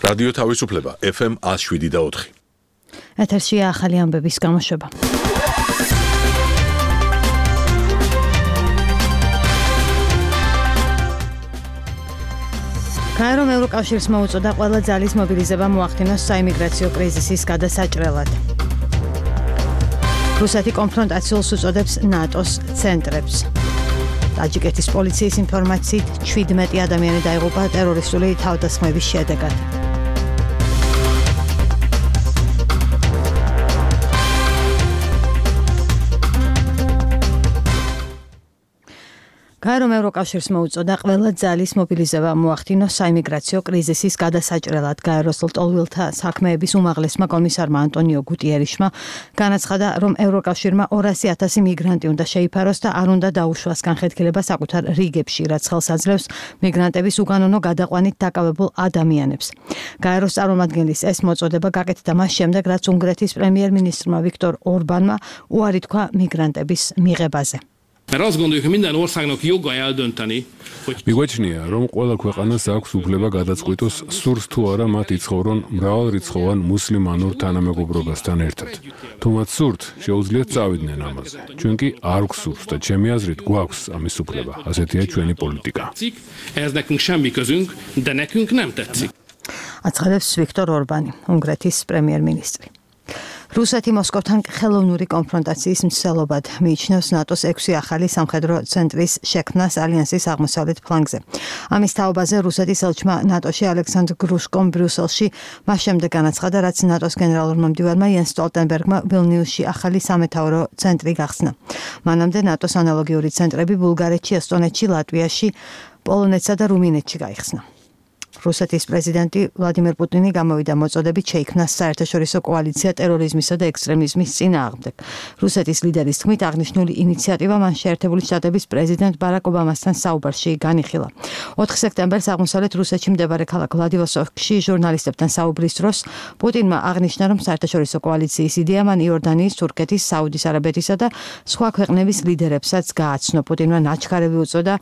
რადიო თავისუფლება FM 107.4. ეთერშია ახალი ამბების გამოშვება. გაერომ ევროკავშირს მოუწოდა ყველა ძალის მობილიზება მოახდინოს საიმიგრაციო კრიზისის გადასაჭრელად. რუსეთი კონფრონტაციულს უწოდებს ნატოს ცენტრებს. ტაჯიკეთის პოლიციის ინფორმაციით 17 ადამიანი დაიღუპა ტერორისტული თავდასხმების შედეგად. გაერომ ევროკავშირს მოუწოდა ყველა ძალის მობილიზება მოახდინოს საიმიგრაციო კრიზისის გადასაჭრელად. გაეროს ლტოლვილთა საქმეების უმაღლესმა კომისარმა ანტონიო გუტიერიშმა განაცხადა, რომ ევროკავშირმა 200,000 მიგრანტი უნდა შეიფაროს და არ უნდა დაუშვას განხეთქილება საკუთარ რიგებში, რაც ხელს აძლევს მიგრანტების უგანონო გადაყვანით დაკავებულ ადამიანებს. გაეროს წარმომადგენლის ეს მოწოდება გაკეთდა მას შემდეგ, რაც უნგრეთის პრემიერ-მინისტრმა ვიქტორ ორბანმა უარი თქვა მიგრანტების მიღებაზე. Mert azt gondoljuk, hogy minden országnak joga eldönteni, hogy მიგვაჩნია, რომ ყველა ქვეყანას აქვს უფლება გადაწყვიტოს, სურს თუ არა მათ იცხოვრონ მრავალრიცხოვან მუსლიმანურ თანამეგობრობასთან ერთად. თუ მათ სურთ, შეუძლიათ წავიდნენ ამაზე. ჩვენ კი არ გვსურს და ჩემი აზრით გვაქვს ამის უფლება. ასეთია ჩვენი პოლიტიკა. ehhez nekünk semmi közünk, de nekünk nem tetszik. აცხადებს ვიქტორ ორბანი, უნგრეთის პრემიერ-მინისტრი. რუსეთი მოსკოვთან ხელოვნური კონფრონტაციის მსვლელობად მიიჩნევს ნატოს 6 ახალი სამხედრო ცენტრის შექმნას ალიანსის აღმოსავლეთ ფლანგზე. ამის თაობაზე რუსეთის ელჩმა ნატოში ალექსანდრ გრუშკომ ბრიუსელში მას შემდეგ განაცხადა, რაც ნატოს გენერალურმა მდივანმა იენს სტოლტენბერგმა ვილნიუსში ახალი სამეთაურო ცენტრი გახსნა. მანამდე ნატოს ანალოგიური ცენტრები ბულგარეთში, ესტონეთში, ლატვიაში, პოლონეთსა და რუმინეთში გაიხსნა. რუსეთის პრეზიდენტი ვლადიმერ პუტინი გამოვიდა მოწოდებით შეიქმნას საერთაშორისო კოალიცია ტერორიზმისა და ექსტრემიზმის წინააღმდეგ. რუსეთის ლიდერის თქმით, აღნიშნული ინიციატივა მან შეერთებული შტატების პრეზიდენტ ბარაკ ობამასთან საუბარში განიხილა. 4 სექტემბერს აღმოსავლეთ რუსეთში მდებარე ქალაქ ვლადივოსტოკში ჟურნალისტებთან საუბრის დროს პუტინმა აღნიშნა, რომ საერთაშორისო კოალიციის იდეა მან იორდანიის, თურქეთის, საუდის არაბეთისა და სხვა ქვეყნების ლიდერებსაც გააცნო. პუტინმა ნაჩქარევი უწოდა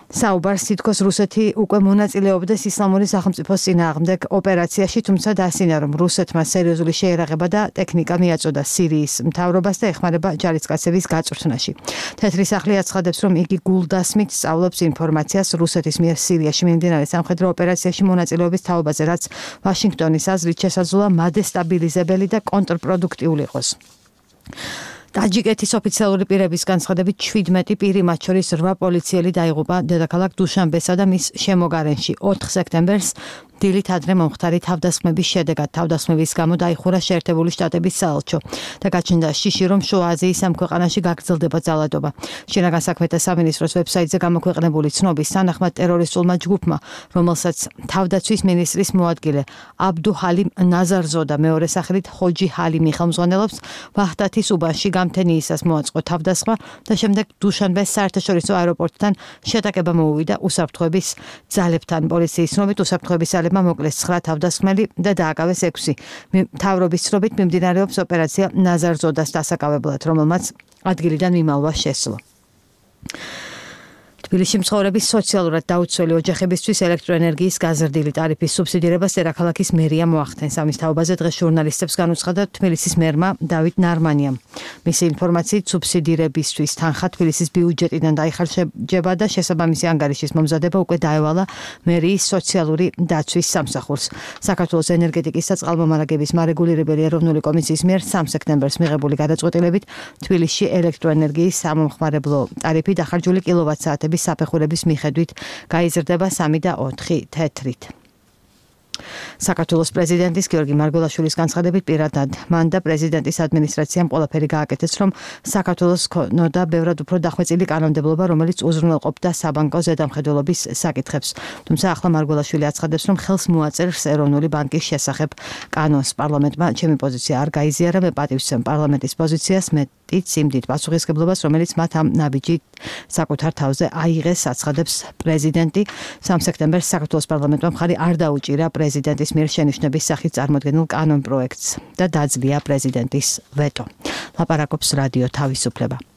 საუბარს, თითქოს რუსეთი უკვე მონაწილეობდეს ისლამური სახელმწიფოს წინააღმდეგ ოპერაციაში, თუმცა დაასინა, რომ რუსეთმა სერიოზული შეერაღება და ტექნიკა მიაწოდა სირიის მთავრობას და ეხმარება ჯარისკაცების გაწვრთნაში. თეთრი სახლი აცხადებს, რომ იგი გულდასმით სწავლობს ინფორმაციას რუსეთის მიერ სირიაში მიმდინარე სამხედრო ოპერაციაში მონაწილეობის თაობაზე, რაც ვაშინგტონის აზრით შესაძლოა მადესტაბილიზებელი და კონტრპროდუქტიული იყოს. ტაჯიკეთის ოფიციალური პირების განცხადებით 17 პირი, მათ შორის 8 პოლიციელი დაიღუპა დედაქალაქ დუშანბესა და მის შემოგარენში 4 სექტემბერს დილით ადრე მომხდარი თავდასხმების შედეგად. თავდასხმების გამო დაიხურა შეერთებული შტატების საელჩო და გაჩნდა შიში, რომ შუა აზიის ამ ქვეყანაში გაგრძელდება ძალადობა. შინაგან საქმეთა სამინისტროს ვებსაიტზე გამოქვეყნებული ცნობის თანახმად ტერორისტულმა ჯგუფმა, რომელსაც თავდაცვის მინისტრის მოადგილე აბდუ ჰალიმ ნაზარზოდა მეორე სახელით ხოჯი ჰალიმი ხელმძღვანელობს, ვაჰდათის უბანში გამთენიისას მოაწყო თავდასხმა და შემდეგ დუშანბეს საერთაშორისო აეროპორტთან შეტაკება მოუვიდა უსაფრთხოების ძალებთან. პოლიციის ცნობით უსაფრთხოების მოკლეს 9 თავდასხმელი და დააკავეს 6. მთავრობის ცნობით მიმდინარეობს ოპერაცია ნაზარზოდას დასაკავებლად, რომელმაც ადგილიდან მიმალვა შესძლო. თბილისში მცხოვრების სოციალურად დაუცველი ოჯახებისთვის ელექტროენერგიის გაზრდილი ტარიფის სუბსიდირებას დედაქალაქის მერია მოახდენს. ამის თაობაზე დღეს ჟურნალისტებს განუცხადა თბილისის მერმა დავით ნარმანიამ. მისი ინფორმაციით სუბსიდირებისთვის თანხა თბილისის ბიუჯეტიდან დაიხარჯება და შესაბამისი ანგარიშის მომზადება უკვე დაევალა მერიის სოციალური დაცვის სამსახურს. საქართველოს ენერგეტიკის და წყალმომარაგების მარეგულირებელი ეროვნული კომისიის მიერ 3 სექტემბერს მიღებული გადაწყვეტილებით თბილისში ელექტროენერგიის სამომხმარებლო ტარიფი დახარჯული კილოვატ-საათების საფეხურების მიხედვით გაიზრდება 3 და 4 თეთრით. საქართველოს პრეზიდენტის გიორგი მარგველაშვილის განცხადებით პირადად მან და პრეზიდენტის ადმინისტრაციამ ყველაფერი გააკეთეს, რომ საქართველოს ქონოდა ბევრად უფრო დახვეწილი კანონმდებლობა, რომელიც უზრუნველყოფდა საბანკო ზედამხედველობის საკითხებს. თუმცა ახლა მარგველაშვილი აცხადებს, რომ ხელს მოაწერს ეროვნული ბანკის შესახებ კანონს. პარლამენტმა ჩემი პოზიცია არ გაიზიარა, მე პატივცემ პარლამენტის პოზიციას, მეტიც იმდით პასუხისმგებლობას, რომელიც მათ ამ ნაბიჯით საკუთარ თავზე აიღეს, აცხადებს პრეზიდენტი. 3 სექტემბერს საქართველოს პარლამენტმა მხარი არ დაუჭირა პრეზიდენტის მიერ შენიშვნების სახით წარმოქმნილ კანონ პროექტს და დაძლია პრეზიდენტის ვეტო. ლაპარაკობს რადიო თავისუფლება.